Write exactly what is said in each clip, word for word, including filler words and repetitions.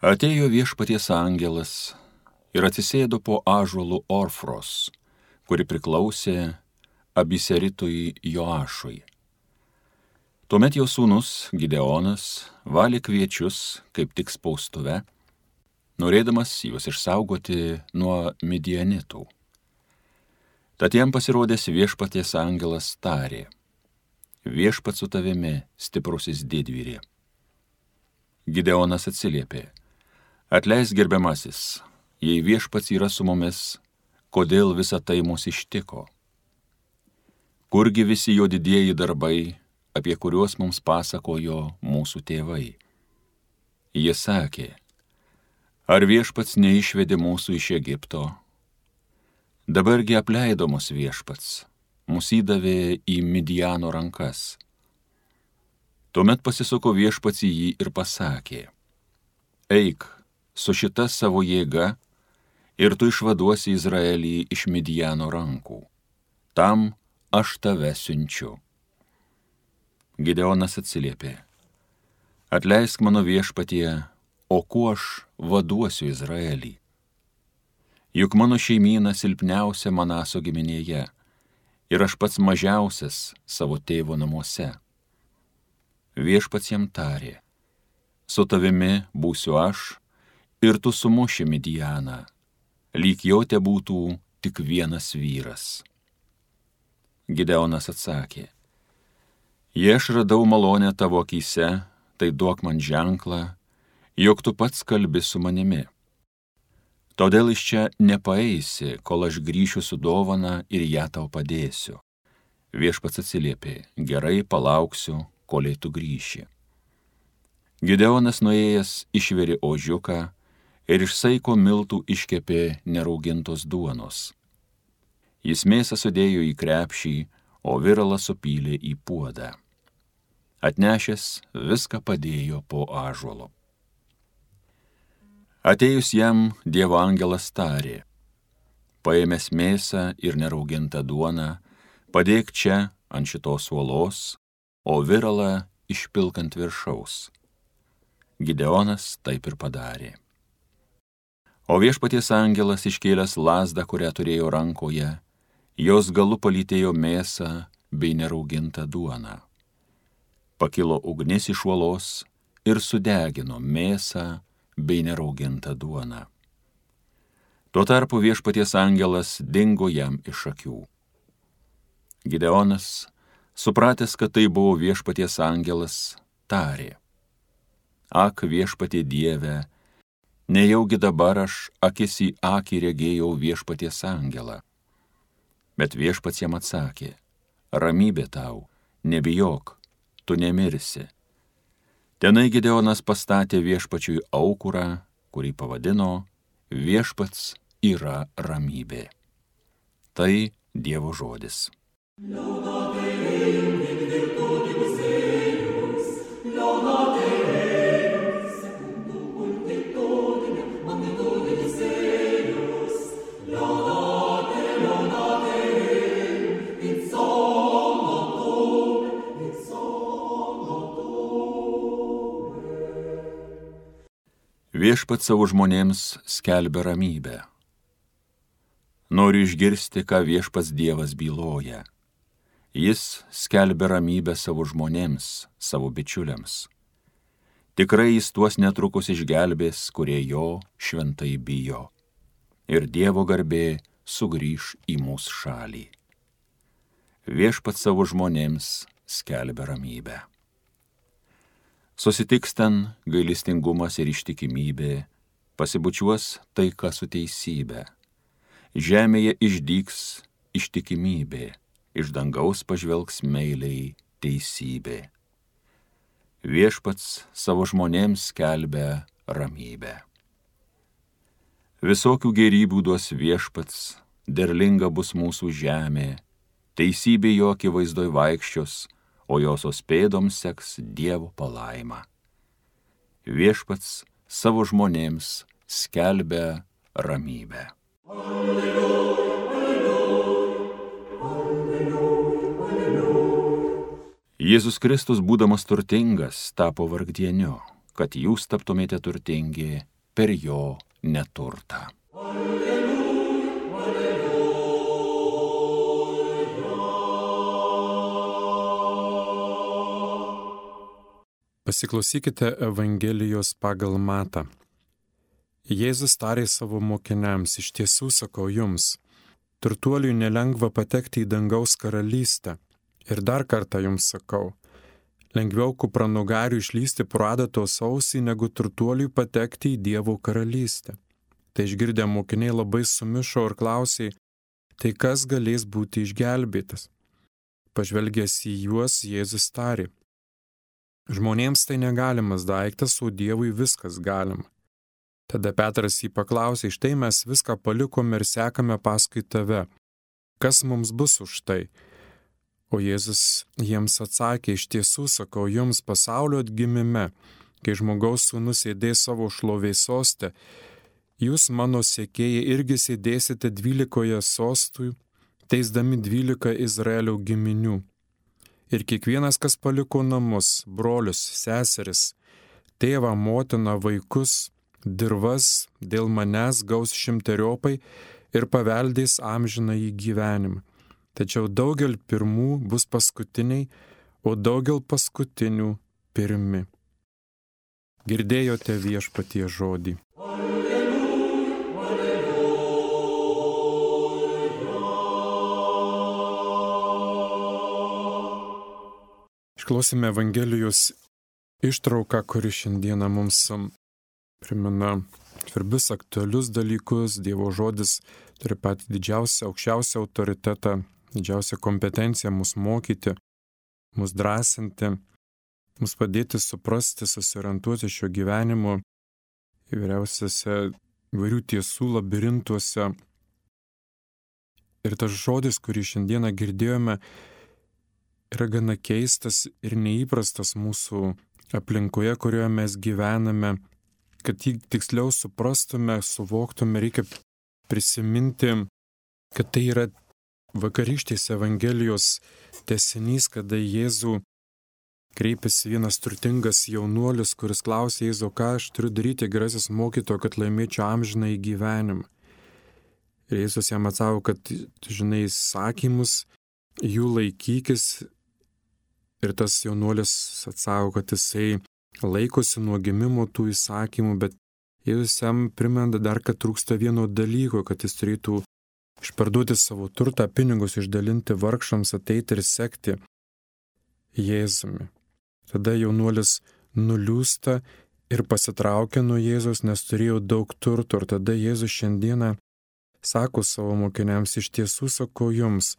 Atėjo viešpaties angelas ir atsisėdo po ąžuolų Orfros, kuri priklausė Abiseritui Joašui. Tuomet jo sūnus Gideonas valė kviečius kaip tik spaustuve, norėdamas juos išsaugoti nuo midianitų. Tad jam pasirodęs viešpaties angelas tarė: Viešpats su tavimi, stiprusis didvyri. Gideonas atsiliepė: Atleisk, gerbiamasis, jei viešpats yra su mumis, kodėl visa tai mus ištiko? Kurgi visi jo didieji darbai, apie kuriuos mums pasakojo mūsų tėvai? Jie sakė: Ar viešpats neišvedė mūsų iš Egipto? Dabargi apleido mus viešpats, mus įdavė į Midiano rankas. Tuomet pasisuko viešpats į jį ir pasakė: Eik su šita savo jėga ir tu išvaduosi Izraelį iš Midiano rankų. Tam aš tave siunčiu. Gideonas atsiliepė: Atleisk mano viešpatie, o kuo aš vaduosiu Izraelį? Juk mano šeimyna silpniausia Manaso giminėje ir aš pats mažiausias savo tėvo namuose. Viešpats jam tarė: Su tavimi būsiu aš ir tu sumuši Midianą, lyg jo te būtų tik vienas vyras. Gideonas atsakė: Jei aš radau malonę tavo akyse, tai duok man ženklą, jog tu pats kalbi su manimi. Todėl iš čia nepaeisi, kol aš grįšiu su dovana ir ją tau padėsiu. Viešpats atsiliepė: Gerai, palauksiu, kol tu grįši. Gideonas nuėjęs išvirė ožiuką ir iš saiko miltų iškepė neraugintos duonos. Jis mėsą sudėjo į krepšį, o viralą supylė į puodą. Atnešęs viską padėjo po ąžuolu. Atėjus jam Dievo angelas tarė: Paėmęs mėsą ir neraugintą duoną, padėk čia ant šitos uolos, o viralą išpilk ant viršaus. Gideonas taip ir padarė. O viešpaties angelas iškėlęs lazdą, kurią turėjo rankoje, jos galu palytėjo mėsą bei neraugintą duoną. Pakilo ugnis iš uolos ir sudegino mėsą bei neraugintą duoną. Tuo tarpu viešpaties angelas dingo jam iš akių. Gideonas, supratęs, kad tai buvo viešpaties angelas, tarė: Ak, viešpatie Dieve, nejaugi dabar aš akis į akį regėjau viešpaties angelą. Bet viešpats jam atsakė: Ramybė tau, nebijok, tu nemirsi. Tenai Gideonas pastatė viešpačiui aukurą, kurį pavadino Viešpats yra ramybė. Tai Dievo žodis. Viešpats savo žmonėms skelbia ramybę. Noriu išgirsti, ką viešpats Dievas byloja. Jis skelbia ramybę savo žmonėms, savo bičiuliams. Tikrai jis tuos netrukus išgelbės, kurie jo šventai bijo. Ir Dievo garbė sugrįš į mūsų šalį. Viešpats savo žmonėms skelbia ramybę. Susitiks ten gailestingumas ir ištikimybė, pasibučiuos taika su teisybė. Žemėje išdygs ištikimybė, iš dangaus pažvelgs meiliai teisybė. Viešpats savo žmonėms skelbia ramybę. Visokių gėrybių duos viešpats, derlinga bus mūsų žemė, teisybė jo akivaizdoj vaikščios, o josios pėdoms seks Dievo palaima. Viešpats savo žmonėms skelbia ramybę. Alleluja, alleluja, alleluja, alleluja. Jėzus Kristus, būdamas turtingas, tapo vargdieniu, kad jūs taptumėte turtingi per jo neturtą. Pasiklausykite Evangelijos pagal Matą. Jėzus tarė savo mokiniams, iš tiesų sakau jums, turtuoliui nelengva patekti į dangaus karalystę. Ir dar kartą jums sakau, lengviau kupranugariui išlysti pro adatos ausį, negu turtuoliui patekti į Dievo karalystę. Tai išgirdę mokiniai labai sumišo ir klausė, tai kas galės būti išgelbėtas? Pažvelgęs į juos, Jėzus tarė, žmonėms tai negalimas daiktas, o Dievui viskas galima. Tada Petras jį paklausė, štai mes viską palikome ir sekame paskui tave. Kas mums bus už tai? O Jėzus jiems atsakė, iš tiesų sakau jums, pasaulio atgimime, kai žmogaus sūnus sėdės savo šlovės soste, jūs mano sekėjai irgi sėdėsite dvylikoje sostų, teisdami dvylika Izraelio giminių. Ir kiekvienas, kas paliko namus, brolius, seseris, tėvą, motiną, vaikus, dirvas, dėl manęs gaus šimteriopai ir paveldės amžiną į gyvenimą. Tačiau daugel pirmų bus paskutiniai, o daugel paskutinių pirmi. Girdėjote Viešpaties žodį. Išklausėme Evangelijos ištrauką, kuri šiandieną mums primena svarbius aktualius dalykus. Dievo žodis turi patį didžiausią, aukščiausią autoritetą, didžiausią kompetenciją mus mokyti, mus drąsinti, mus padėti suprasti, susiorientuoti šio gyvenimo įvairiausiose įvairių tiesų labirintuose. Ir tas žodis, kurį šiandieną girdėjome, yra gana keistas ir neįprastas mūsų aplinkoje, kurioje mes gyvename. Kad jį tiksliau suprastume, suvoktume, reikia prisiminti, kad tai yra vakarykštės Evangelijos tęsinys, kada Jėzų kreipėsi vienas turtingas jaunuolis, kuris klausė Jėzų, ką aš turiu daryti, gerasis mokytojo, kad laimėčiau amžiną į gyvenimą. Ir Jėzus jam atsako, kad tu žinai įsakymus, jų laikykis. Ir tas jaunuolis atsako, kad jisai laikosi nuo gimimo tų įsakymų, bet Jėzus jam primena dar, kad trūksta vieno dalyko, kad jis turėtų išparduoti savo turtą, pinigus išdalinti vargšams, ateiti ir sekti Jėzumi. Tada jaunuolis nuliūsta ir pasitraukia nuo Jėzus, nes turėjo daug turto. Ir tada Jėzus šiandieną sako savo mokiniams, iš tiesų sakau jums,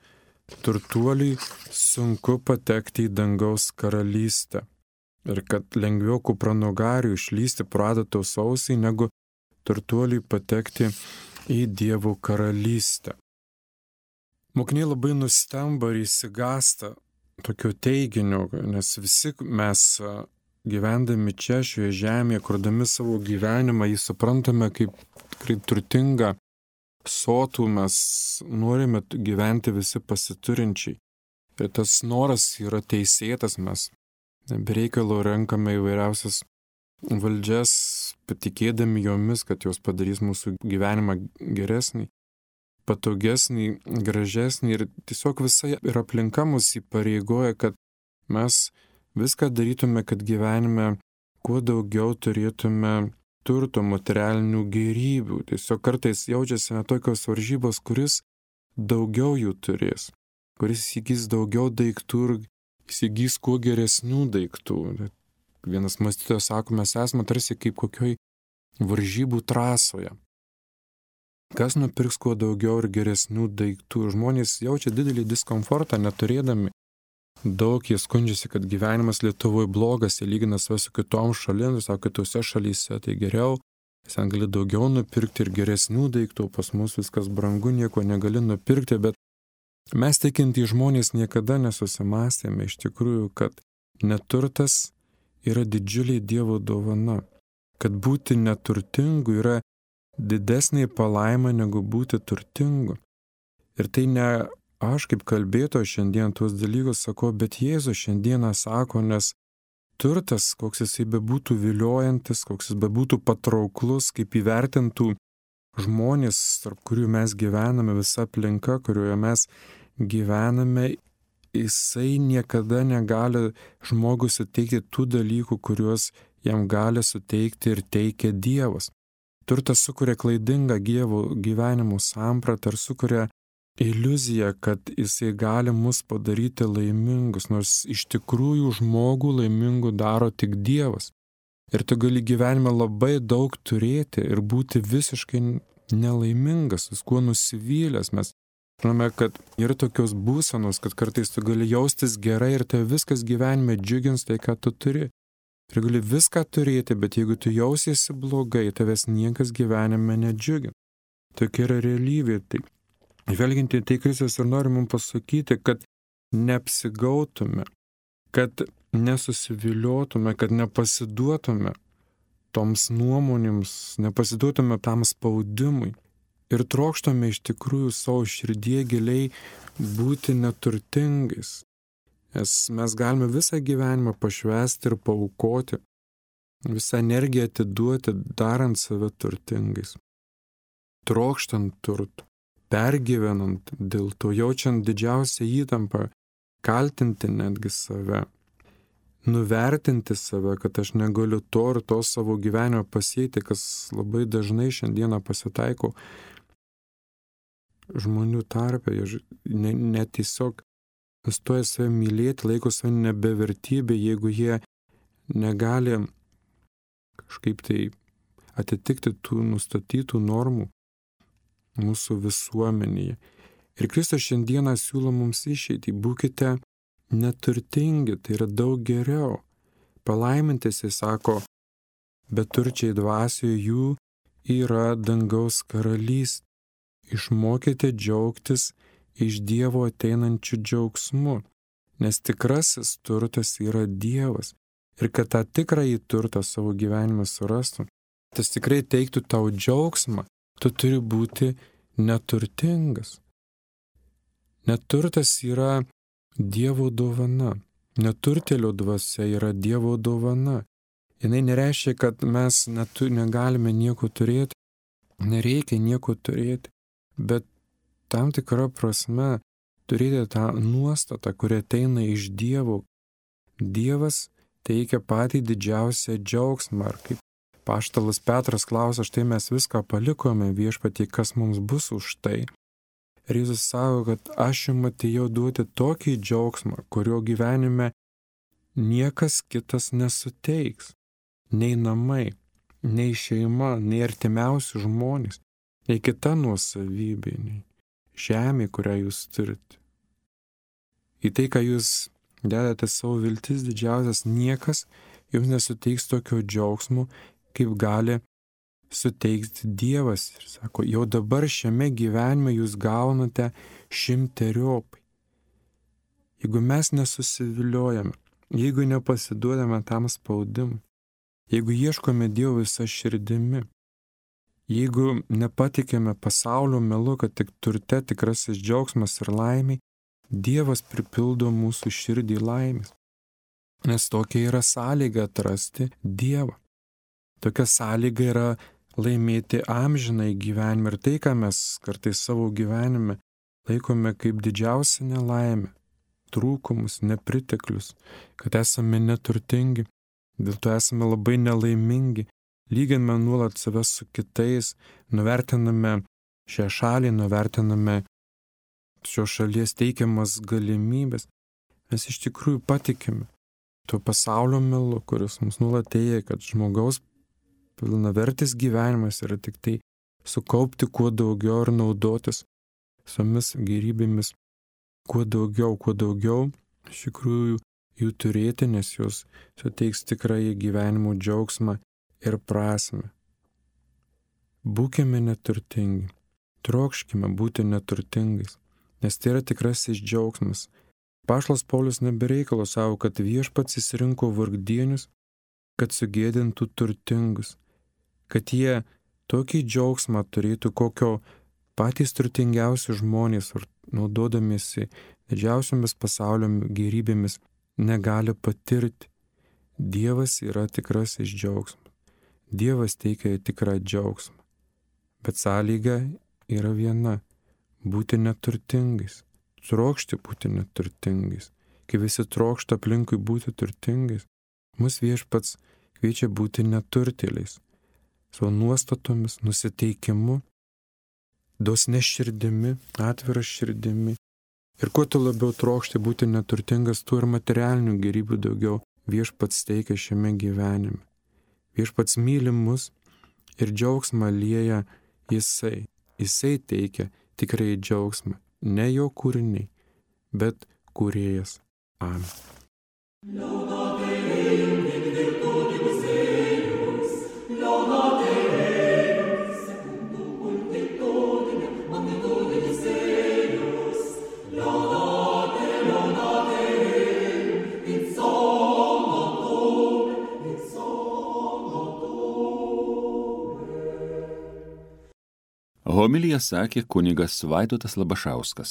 turtuoliui sunku patekti į dangaus karalystę. Ir kad lengviau kupranugariui išlysti pro adatos ausį, negu turtuoliui patekti į Dievo karalystę. Mokiniai labai nustemba ir įsigąsta tokio teiginio, nes visi mes gyvendami čia, šioje žemėje, kurdami savo gyvenimą, jį suprantame kaip tikrai turtingą, sotų, mes norime gyventi visi pasiturinčiai. Ir tas noras yra teisėtas, mes bereikalo renkame įvairiausias valdžias, patikėdami jomis, kad jos padarys mūsų gyvenimą geresnį, patogesnį, gražesnį. Ir tiesiog visa ir aplinka mus įpareigoja, kad mes viską darytume, kad gyvenime kuo daugiau turėtume turto, materialinių gėrybių. Tiesiog kartais jaučiasi net tokios varžybos, kuris daugiau jų turės, kuris įgys daugiau daiktų ir įsigys kuo geresnių daiktų. Vienas mąstytojas sako, mes esame tarsi kaip kokioj varžybų trasoje. Kas nupirks kuo daugiau ir geresnių daiktų? Žmonės jaučia didelį diskomfortą, neturėdami daug, jie skundžiasi, kad gyvenimas Lietuvoje blogas, jie lygina save su kitom šalim, sako, kitose šalyse tai geriau, ten gali daugiau nupirkti ir geresnių daiktų, pas mus viskas brangu, nieko negali nupirkti, bet mes tikintys žmonės niekada nesusimąstėme iš tikrųjų, kad neturtas yra didžiulė Dievo dovana, kad būti neturtingu yra didesnė palaima negu būti turtingu. Ir tai ne aš kaip kalbėtojas šiandien tuos dalykus sakau, bet Jėzus šiandieną sako, nes turtas, koks jisai bebūtų viliojantis, koks jis bebūtų patrauklus, kaip įvertintų žmonės, tarp kurių mes gyvename, visa aplinka, kurioje mes gyvename, jisai niekada negali žmogui suteikti tų dalykų, kuriuos jam gali suteikti ir teikia Dievas. Turtas sukuria klaidingą Dievo gyvenimo sampratą ir sukuria iliuziją, kad jisai gali mus padaryti laimingus, nors iš tikrųjų žmogų laimingų daro tik Dievas. Ir tu gali gyvenime labai daug turėti ir būti visiškai nelaimingas, viskuo nusivylęs. Mes žinome, kad yra tokios būsenos, kad kartais tu gali jaustis gerai ir tai viskas gyvenime džiugins tai, ką tu turi. Ir gali viską turėti, bet jeigu tu jausiesi blogai, tavęs niekas gyvenime nedžiugins. Tokia yra realybė. Tai žvelgiant į tai, Kristus ir nori mums pasakyti, kad neapsigautume, kad nesusiviliotume, kad nepasiduotume toms nuomonėms, nepasiduotume tam spaudimui ir trokštume iš tikrųjų savo širdie giliai būti neturtingais. Nes mes galime visą gyvenimą pašvęsti ir paaukoti, visą energiją atiduoti, darant save turtingais, trokštant turtų, pergyvenant dėl to, jaučiant didžiausią įtampą, kaltinti netgi save, nuvertinti save, kad aš negaliu to ir to savo gyvenimo pasiekti, kas labai dažnai šiandieną pasitaiko žmonių tarpe, ne, ne tiesiog nustoja save mylėti, laiko save nebevertybė, jeigu jie negali kažkaip tai atitikti tų nustatytų normų mūsų visuomenėje. Ir Kristus šiandieną siūlo mums išeitį, būkite neturtingi, tai yra daug geriau. Palaimintis, jis sako, beturčiai dvasioje jų yra dangaus karalystė. Išmokite džiaugtis iš Dievo ateinančių džiaugsmų, nes tikrasis turtas yra Dievas. Ir kad tą tikrąjį turtą savo gyvenime surastum, tas tikrai teiktų tau džiaugsmą, tu turi būti neturtingas. Neturtas yra Dievo dovana. Neturtėlio dvasia yra Dievo dovana. Jinai nereiškia, kad mes netu, negalime nieko turėti, nereikia nieko turėti, bet tam tikrą prasme turėti tą nuostatą, kuri ateina iš Dievo. Dievas teikia patį didžiausią džiaugsmą. Ar kaip Apaštalas Petras klausia, štai mes viską palikome Viešpatie, kas mums bus už tai. Ir Jėzus sako, kad aš jums atėjau duoti tokį džiaugsmą, kurio gyvenime niekas kitas nesuteiks. Nei namai, nei šeima, nei artimiausi žmonės, nei kita nuosavybė, nei žemė, kurią jūs turite. Į tai, ką jūs dedate savo viltis didžiausias, niekas jums nesuteiks tokio džiaugsmo, kaip gali suteikti Dievas. Ir sako, jau dabar šiame gyvenime jūs gaunate šimteriopai. Jeigu mes nesusiviliojame, jeigu nepasiduodame tam spaudimui, jeigu ieškome Dievo visą širdimi, jeigu nepatikėme pasaulio melu, kad tik turte tikrasis džiaugsmas ir laimė, Dievas pripildo mūsų širdį laimės. Nes tokia yra sąlyga atrasti Dievą. Tokia sąlyga yra laimėti amžinai gyvenimą ir tai, ką mes kartais savo gyvenime laikome kaip didžiausia nelaimė, trūkumus, nepriteklius, kad esame neturtingi, dėl to esame labai nelaimingi, lyginame nuolat save su kitais, nuvertiname šią šalį, nuvertiname šios šalies teikiamas galimybės. Mes iš tikrųjų patikime tuo pasaulio melu, kuris mums nuolat teigia, kad žmogaus pilnavertis gyvenimas yra tik tai sukaupti kuo daugiau ir naudotis visomis gėrybėmis kuo daugiau, kuo daugiau iš tikrųjų jų turėti, nes jos suteiks tikrąjį gyvenimo džiaugsmą ir prasmę. Būkime neturtingi, trokškime būti neturtingais, nes tai yra tikrasis džiaugsmas. Apaštalas Paulius nebereikalo savo, kad Viešpats išsirinko vargdienius, kad sugėdintų turtingus, kad jie tokį džiaugsmą turėtų, kokio patys turtingiausi žmonės, naudodamiesi didžiausiomis pasaulio gėrybėmis, negali patirti. Dievas yra tikrasis džiaugsmas. Dievas teikia tikrą džiaugsmą. Bet sąlyga yra viena - būti neturtingais. Trokšti būti neturtingais. Kai visi trokšta aplinkui būti turtingais, mus Viešpats kviečia būti neturtėliais. Savo nuostatomis, nusiteikimu, dosne širdimi, atvira širdimi. Ir kuo tu labiau trokšti būti neturtingas, tuo ir materialinių gėrybių daugiau Viešpats teikia šiame gyvenime. Viešpats myli mus ir džiaugsmą lieja Jisai. Jisai teikia tikrai džiaugsmą, ne jo kūriniai, bet kūrėjas. Amen. Homiliją sakė kunigas Vaidotas Labašauskas.